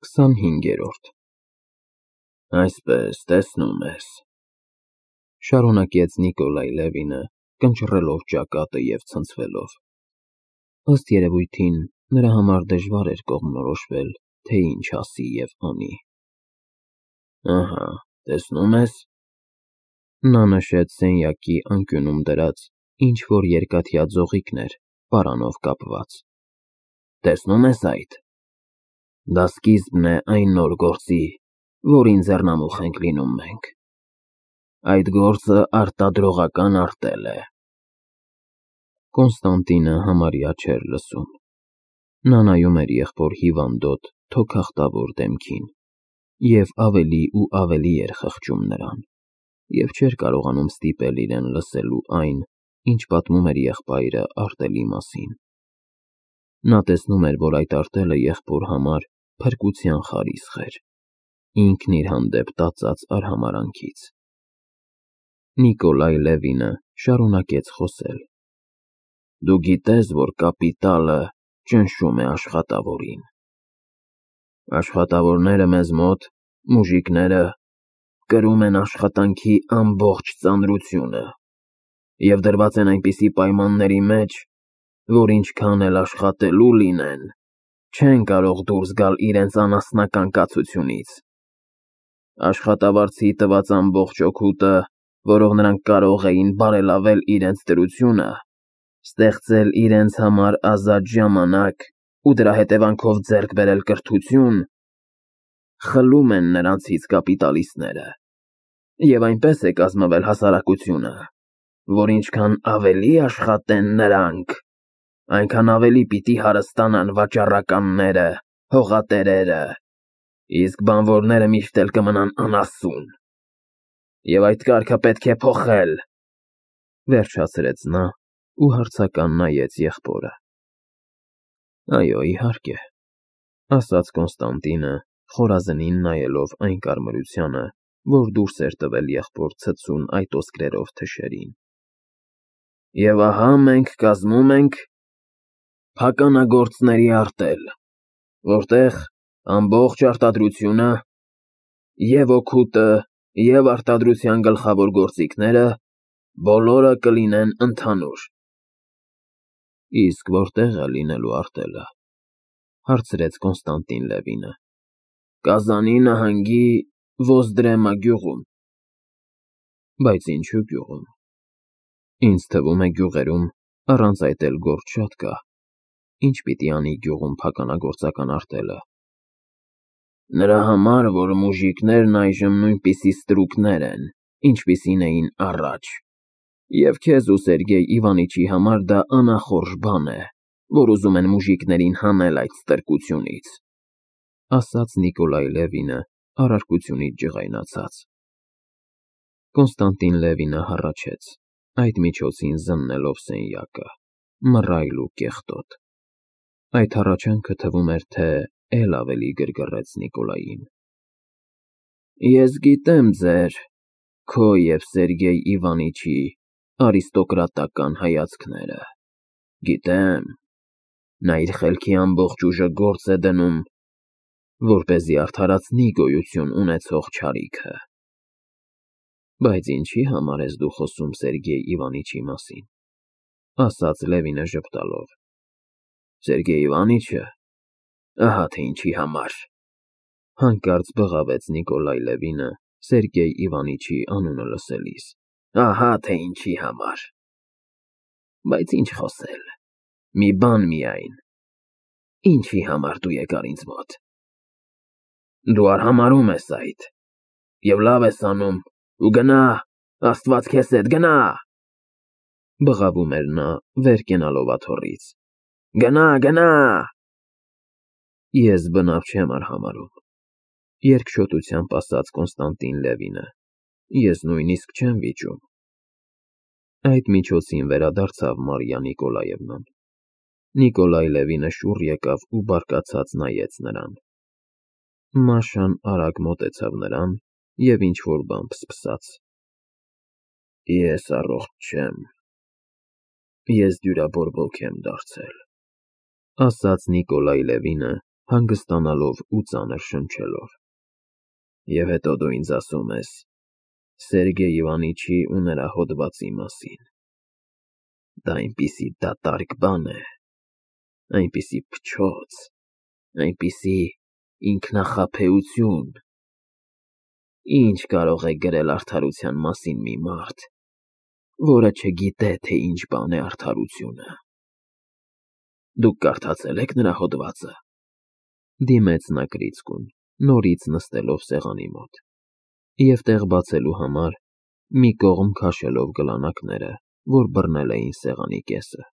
25-րդ Այսպես, տեսնում ես, շարունակեց Նիկոլայ Լևինը, կնճռելով ճակատը և ցնցվելով. ըստ երևույթին, նրա համար դժվար էր կողմնորոշվել, թե ինչ ասի և անի։ Ահա, տեսնում ես, նա նշեց սենյակի անկյունում դրած ինչ-որ երկաթյա ձողիկներ պարանով կապված։ Տեսնում ես այդ։ Դա սկիզբն է այն նոր գործի, որին ձեռնամուխ ենք լինում մենք։ Այդ գործը արտադրողական արտել է։ Կոնստանտինը համարյա չէր լսում։ Նա նայում էր եղբոր հիվանդոտ, թոքախտավոր դեմքին և ավելի ու ավելի էր խղճում նրան, և չէր կարողանում ստիպել իրեն լսելու այն, ինչ պատմում էր եղբայրը արտելի մասին։ Նա տեսնում էր, որ այդ արտելը եղբոր համար փրկության խարիսխ էր, ինքն իր հանդեպ տածած արհամարհանքից։ Նիկոլայ Լևինը շարունակեց խոսել. Դու գիտես, որ կապիտալը ճնշում է աշխատավորին։ Աշխատավորները մեզ մոտ, մուժիկները, կրում են աշխատանքի ամբողջ ծանրությունը և դրված են այնպիսի պայմանների մեջ, որ ինչքան էլ աշխատելու լինեն, չեն կարող դուրս գալ իրենց անասնական կացությունից։ Աշխատավարձի տված ամբողջ օգուտը, որով նրանք կարող էին բարելավել իրենց դրությունը, ստեղծել իրենց համար ազատ ժամանակ ու դրա հետևանքով ձեռք բերել կրթություն, խլում են նրանցից կապիտալիստները, և այնպես է կազմվել հասարակությունը, որ ինչքան ավելի աշխատեն նրանք, այնքան ավելի պիտի հարստանան վաճառականները, հողատերերը, իսկ բանվորները միշտ էլ կմնան անասուն։ Եվ այդ կարգը պետք է փոխել, վերջացրեց նա ու հարցական նայեց եղբորը։ Այո, իհարկե, ասաց Կոնստանտինը, խորազնին նայելով այն կարմրությանը, որ դուրս էր տվել եղբոր ցցուն այտոսկրերով թշերին։ Եվ ահա մենք կազմում ենք փականագործների արտել, որտեղ ամբողջ արտադրությունը, և օգուտը, և արտադրության գլխավոր գործիքները բոլորը կլինեն ընդհանուր։ Իսկ որտե՞ղ է լինելու արտելը, հարցրեց Կոնստանտին Լևինը։ Կազանի նահանգի Ոզդրեմա գյուղում։ Բայց ինչու գյուղում։ Ինձ թվում է գյուղերում առանց այդ էլ գործ շատ կա։ Ինչ պիտի անի գյուղում փականագործական արտելը։ Նրա համար, որ մուժիկներն այժմ նույնպիսի ստրուկներ են, ինչպիսին էին առաջ, և քեզ ու Սերգեյ Իվանիչի համար դա անախորժ բան է, որ ուզում են մուժիկներին հանել այդ ստրկությունից, ասաց Նիկոլայ Լևինը առարկությունից ջղայնացած։ Կոնստանտին Լևինը հառաչեց, այդ միջոցին զննելով սենյակը, մռայլ ու կեղտոտ։ Այդ հառաչանքը թվում էր, թե էլ ավելի գրգռեց Նիկոլային։ Ես գիտեմ քո և Սերգեյ Իվանիչի արիստոկրատական հայացքները, գիտեմ, նա իր խելքի ամբողջ ուժը գործ է դնում, որպեսզի արդարացնի գոյություն ունեցող չարիքը։ Բայց ինչի համար ես դու խոսում Սերգեյ Իվանիչի մասին, ասաց Լևինը ժպտալով։ Սերգեյ Իվանիչը, ահա թե ինչի համար, հանկարծ բղավեց Նիկոլայ Լևինը Սերգեյ Իվանիչի անունը լսելիս, ահա թե ինչի համար։ Բայց ինչ խոսել, մի բան միայն, ինչի համար դու եկար ինձ մոտ։ Դու արհամարհում ես այդ, և լավ ես անում, ու գնա, Աստված քեզ հետ, գնա, բղավում էր նա, վեր կենալով աթոռից, գնա։ Ես բնավ չեմ արհամարհում, երկչոտությամբ ասաց Կոնստանտին Լևինը, ես նույնիսկ չեմ վիճում։ Այդ միջոցին վերադարձավ Մարիա Նիկոլաևնան։ Նիկոլայ Լևինը շուռ եկավ ու բարկացած նայեց նրան։ Մաշան արագ մոտեցավ նրան և ինչ-որ բան փսփսաց։ Ես առողջ չեմ, ես դյուրաբորբոք եմ դարձել, ասաց Նիկոլայ Լևինը հանգստանալով ու ծանր շնչելով։ Եվ հետո դու ինձ ասում ես Սերգեյ Իվանիչի ու նրա հոդվածի մասին։ Դա այնպիսի դատարկ բան է, այնպիսի փչոց, այնպիսի ինքնախաբեություն։ Ինչ կարող է գրել արդարության մասին մի մարդ, որը չգիտե, թե ինչ բան է արդարությունը։ Դուք կարդացե՞լ եք նրա հոդվածը։ Դիմեց նա Կրիցկուն, նորից նստելով սեղանի մոտ, և տեղ բացելու համար մի կողմ քաշելով գլանակները, որ բռնել էին սեղանի կեսը։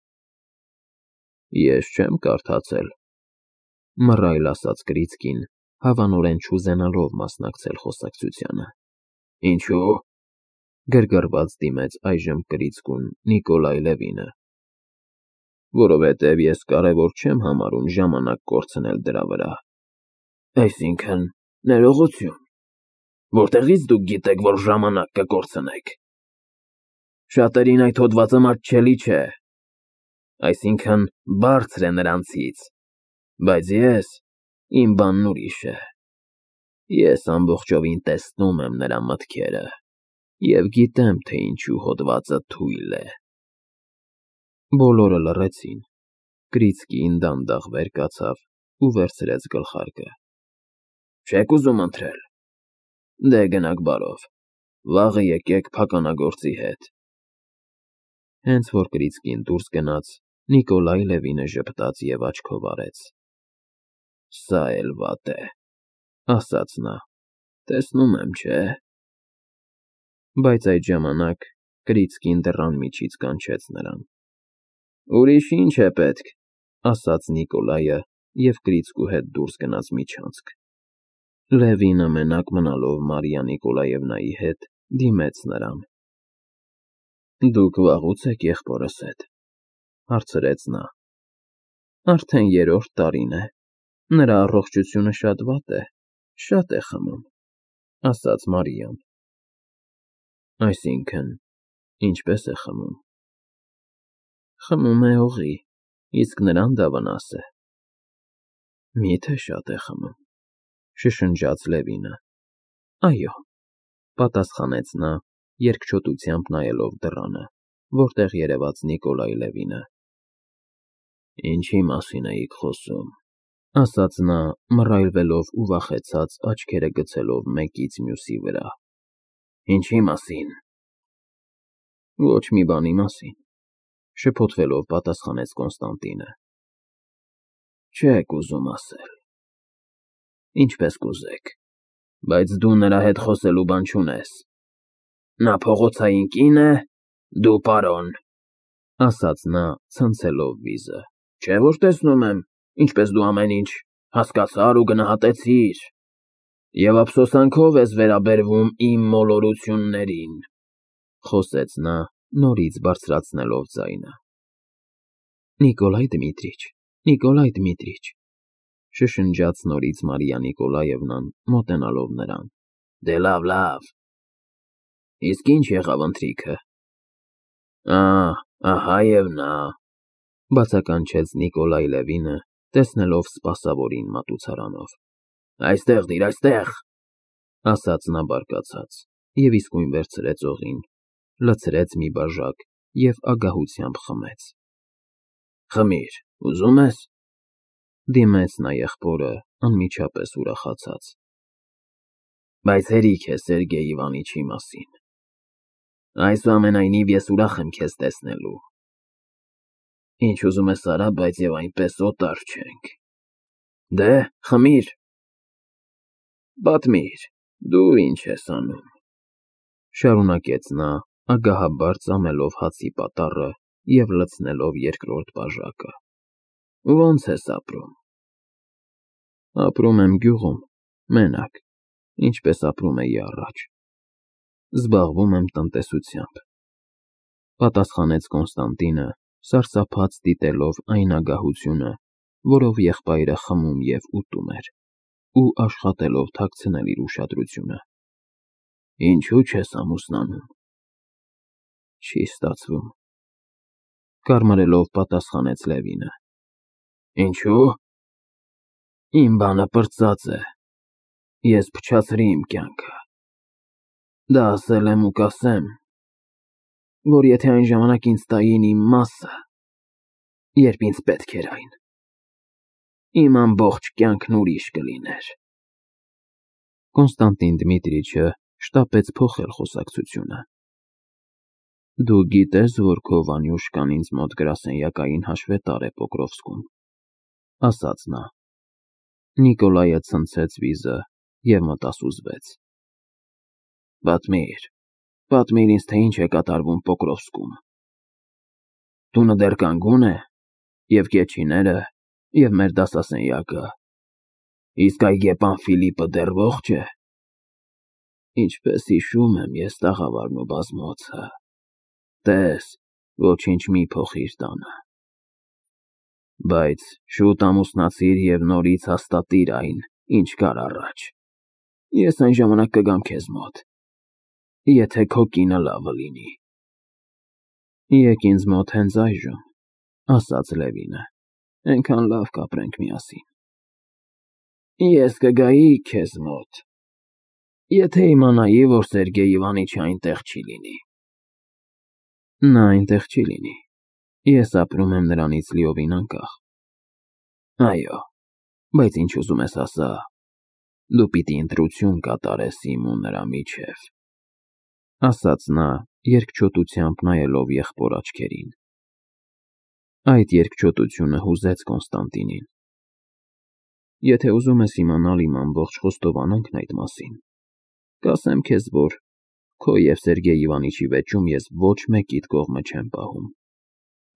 Ես չեմ կարդացել, մռայլ ասաց Կրիցկին, հավանորեն չուզենալով մասնակցել խոսակցությանը։ Ինչու՞։ Գրգռված դիմեց այժմ Կրիցկուն Նիկոլայ Լևինը։ Որովհետև ես կարևոր չեմ համարում ժամանակ կորցնել դրա վրա։ Այսինքն՝ ներողություն։ Որտեղից դուք գիտեք, որ ժամանակ կկորցնեք։ Շատերին այդ հոդվածը մատչելի չէ, այսինքն բարձր է նրանցից, բայց իմ բանն ուրիշ է։ Ես ամբողջովին տեսնում եմ նրա մտքերը և գիտեմ, թե ինչու հոդվածը թույլ է։ Բոլորը լռեցին։ Կրիցկին դանդաղ վեր կացավ ու վերցրեց գլխարկը։ Չեք ուզում ընթրել։ Դե գնաք բարով, վաղը եկեք փականագործի հետ։ Հենց որ Կրիցկին դուրս գնաց, Նիկոլայ Լևինը ժպտաց և աչքով արեց։ Սա էլ վատ է, ասաց նա, տեսնում եմ, չէ։ Բայց այդ ժամանակ Կրիցկին դռան միջից կանչեց նրան։ Ուրիշ ինչ է պետք, ասաց Նիկոլայը և Կրիցկու հետ դուրս գնաց միջանցք։ Լևինը մենակ մնալով Մարիա Նիկոլաևնայի հետ դիմեց նրան։ Դուք վաղուց եք եղբորս հետ, հարցրեց նա։ Արդեն 3-րդ տարին է, նրա առողջությունը շատ վատ է, շատ է խմում, ասաց Մարիան։ Այսինքն, ինչպե՞ս է խմում։ Խմում է օղի, իսկ նրան դա վնաս է։ Մի՞թե շատ է խմում, շշնջաց Լևինը։ Այո, պատասխանեց նա, երկչոտությամբ նայելով դռանը, որտեղ երևաց Նիկոլայ Լևինը։ Ինչի մասին էիք խոսում, ասաց նա, մռայլվելով ու վախեցած աչքերը գցելով մեկից մյուսի վրա։ Ինչի մասին։ Ոչ մի բանի մասին, շփոթվելով պատասխանեց Կոնստանտինը։ Չեք ուզում ասել։ Ինչպես կուզեք, բայց դու նրա հետ խոսելու բան չունես։ Նա փողոցային կին է, դու պարոն, ասաց նա, ցնցելով վիզը։ Չէ՞ որ տեսնում եմ, ինչպես դու ամեն ինչ հասկացար ու գնահատեցիր, և ափսոսանքով ես վերաբերվում իմ մոլորություններին, խոսեց նա, նորից բարձրացնելով ձայնը։ Նիկոլայ Դմիտրիչ, շշնջաց նորից Մարիա Նիկոլաևնան, մոտենալով նրան։ Դե լավ։ Իսկ ինչ եղավ ընթրիքը։ Ահա և նա, բացականչեց Նիկոլայ Լևինը, տեսնելով սպասավորին մատուցարանով։ Այստեղ դիր, այստեղ, ասաց նա բարկացած, և իսկույն վերցրեց օղին, լցրեց մի բաժակ և ագահությամբ խմեց։ Խմիր, ուզում ես։ Դիմեց նա եղբորը, անմիջապես ուրախացած։ Բայց հերիք է Սերգեյ Իվանիչի մասին։ Այսուամենայնիվ ես ուրախ եմ քեզ տեսնելու։ Ինչ ուզում ես արա, բայց և այնպես օտար չենք։ Դե, խմիր։ Պատմիր, դու ինչ ես անում, շարունակեց նա, ագահաբար ծամելով հացի պատառը և լցնելով երկրորդ բաժակը։ Ոնց ես ապրում։ Ապրում եմ գյուղում, մենակ, ինչպես ապրում էի առաջ։ Զբաղվում եմ տնտեսությամբ, պատասխանեց Կոնստանտինը, սարսափած դիտելով այն ագահությունը, որով եղբայրը խմում և ուտում էր, ու աշխատելով թաքցնել իր ուշադրությունը։ Ինչու չես ամուսնանում։ Չի ստացվում, կարմրելով պատասխանեց Լևինը։ Ինչու։ Իմ բանը պրծած է, ես փչացրի իմ կյանքը, դա ասել եմ ու կասեմ, որ եթե այն ժամանակ ինձ տային իմ մասը, երբ ինձ պետք էր այն, իմ ամբողջ կյանքն ուրիշ կլիներ։ Կոնստանտին Դմիտրիչը շտապեց փոխել խոսակցությունը։ Դու գիտես, որ քո Վանյուշկան ինձ մոտ գրասենյակային հաշվետար է Պոկրովսկում, ասաց նա։ Նիկոլայը ցնցեց վիզը և մտասուզվեց։ Պատմիր ինձ, թե ինչ է կատարվում Պոկրովսկում։ Տունը դեռ կանգուն է, և կեչիները, և մեր դասասենյակը, իսկ այգեպան Ֆիլիպը դեռ ողջ է։ Ինչպես հիշում եմ ես տաղավարն ու բազմոցը, տես, ոչինչ մի փոխիր տանը։ Բայց շուտ ամուսնացիր և նորից հաստատիր այն, ինչ կար առաջ։ Ես այն ժամանակ կգամ քեզ մոտ, եթե քո կինը լավը լինի։ Եկ ինձ մոտ հենց այժմ, ասաց Լևինը, էնքան լավ կապրենք միասին։ Ես կգայի քեզ մոտ, եթե իմանայի, որ Սերգեյ Իվանիչը այնտեղ չի լինի։ Նա այնտեղ չի լինի, ես ապրում եմ նրանից լիովին անկախ։ Այո, բայց ինչ ուզում ես ասա, դու պիտի ընտրություն կատարես իմ ու նրա միջև, ասաց նա, երկչոտությամբ նայելով եղբոր աչքերին։ Այդ երկչոտությունը հուզեց Կոնստանտինին։ Եթե ուզում ես իմանալ իմ ամբողջ խոստովանանքն այդ մասին, կասեմ քեզ, որ քո և Սերգեյ Իվանիչի վեճում ես ոչ մեկիդ կողմը չեմ պահում։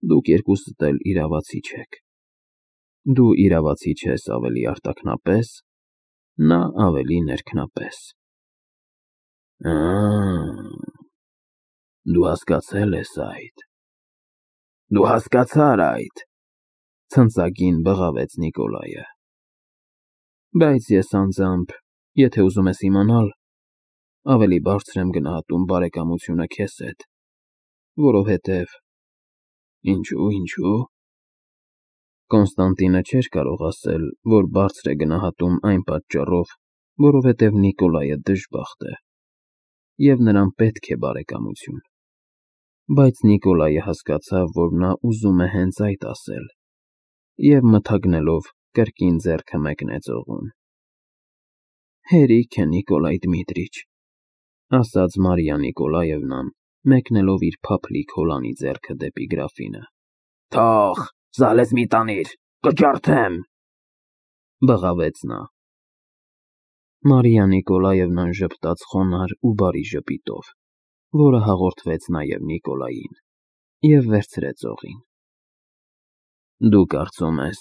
Դուք երկուսդ էլ իրավացի չեք։ Դու իրավացի չես ավելի արտաքնապես, նա ավելի ներքնապես։ Դու հասկացել ես այդ։ Դու հասկացար այդ, ցնծագին բղավեց Նիկոլայը։ Բայց ես անձամբ, եթե ուզում ես իմանալ, ավելի բարձր եմ գնահատում բարեկամությունը քեզ հետ, որովհետև… Ինչու՞։ Կոնստանտինը չէր կարող ասել, որ բարձր է գնահատում այն պատճառով, որովհետև Նիկոլայը դժբախտ է, և նրան պետք է բարեկամություն։ Բայց Նիկոլայը հասկացավ, որ նա ուզում է հենց այդ ասել, և մթագնելով կրկին ձեռքը մեկնեց օղուն։ Հերիք է, Նիկոլայ Դմիտրիչ, ասաց Մարիա Նիկոլաևնան, մեկնելով իր փափլիկ հոլանի ձեռքը դեպի գրաֆինը։ Թող, զալես մի տանիր, կջարդեմ, բղավեց նա։ Մարիա Նիկոլաևնան ժպտաց խոնարհ ու բարի ժպիտով, որը հաղորդվեց նաև Նիկոլային, և վերցրեց օղին։ Դու կարծում ես,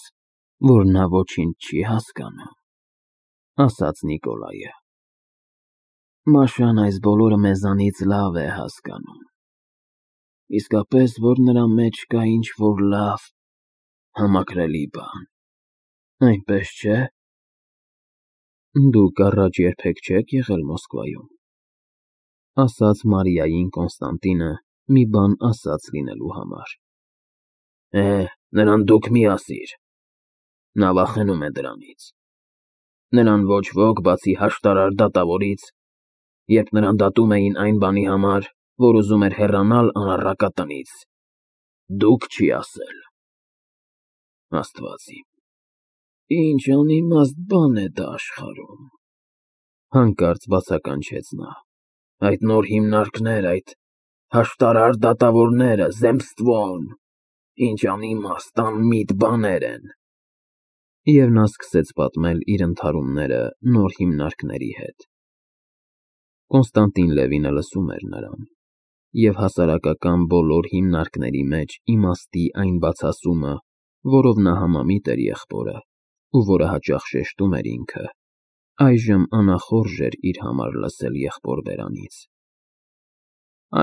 որ նա ոչինչ չի հասկանում, ասաց Նիկոլայը։ Մաշան այս բոլորը մեզանից լավ է հասկանում, իսկապես, որ նրա մեջ կա ինչ-որ լավ, համակրելի բան, այնպես չէ՞։ Դուք առաջ երբեք չեք եղել Մոսկվայում, ասաց Մարիային Կոնստանտինը մի բան ասած լինելու համար։ Նրան դուք մի ասիր, նա վախենում է դրանից։ Նրան ոչ ոք, բացի հաշտարար դատավորից, երբ նրան դատում էին այն բանի համար, որ ուզում էր հեռանալ անառակա տնից, դուք չի ասել։ Աստված իմ, ինչ անիմաստ բան է դա աշխարհում, հանկարծ բացականչեց նա։ Այդ նոր հիմնարկներ, այդ հաշտարար դատավորները, Զեմսթվոն, ինչ անիմաստ, անմիտ բաներ են։ Եվ նա սկսեց պատմել իր ընթարումները նոր հիմնարկների հետ։ Կոնստանտին Լևինը լսում էր նրան, և հասարակական բոլոր հիմնարկների մեջ իմաստի այն բացասումը, որով նա համամիտ էր եղբորը, ու որը հաճախ շեշտում էր ինքը, այժմ անախորժ էր իր համար լսել եղբոր բերանից։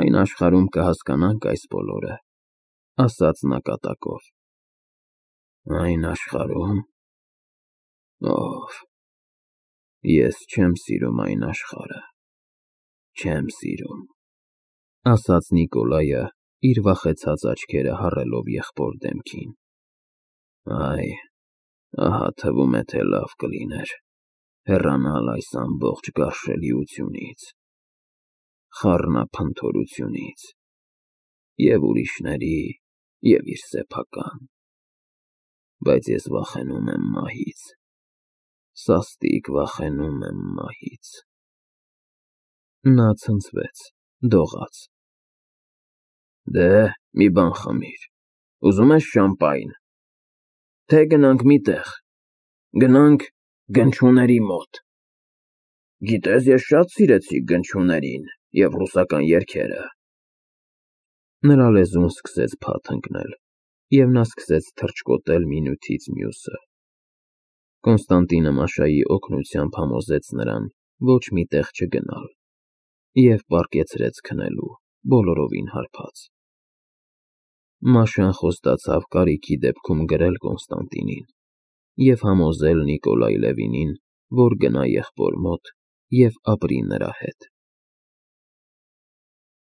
Այն աշխարհում կհասկանանք այս բոլորը, ասաց նա կատակով։ Այն աշխարհում… Ով… Ես չեմ սիրում այն աշխարհը, չեմ սիրում, ասաց Նիկոլայը, իր վախեցած աչքերը հառելով եղբոր դեմքին։ Այ, Ահա թվում է, թե լավ կլիներ հեռանալ այս ամբողջ գարշելիությունից, խառնափնթորությունից և ուրիշների, և իր սեփական, բայց ես վախենում եմ մահից, սաստիկ վախենում եմ մահից… Նա ցնցվեց, դողաց. Դե, մի բան խմիր, ուզում ես շամպայն, թե գնանք մի տեղ, գնանք գնչուների մոտ… Գիտես, ես շատ սիրեցի գնչուներին և ռուսական երգերը… Նրա լեզուն սկսեց փաթ ընկնել, և նա սկսեց թռչկոտել մի նյութից մյուսը… Կոնստանտինը Մաշայի օգնությամբ համոզեց նրան ոչ մի տեղ չգնալ և պառկեցրեց քնելու, բոլորովին հարբած… Մաշան խոստացավ կարիքի դեպքում գրել Կոնստանտինին և համոզել Նիկոլայ Լևինին, որ գնա եղբոր մոտ և ապրի նրա հետ։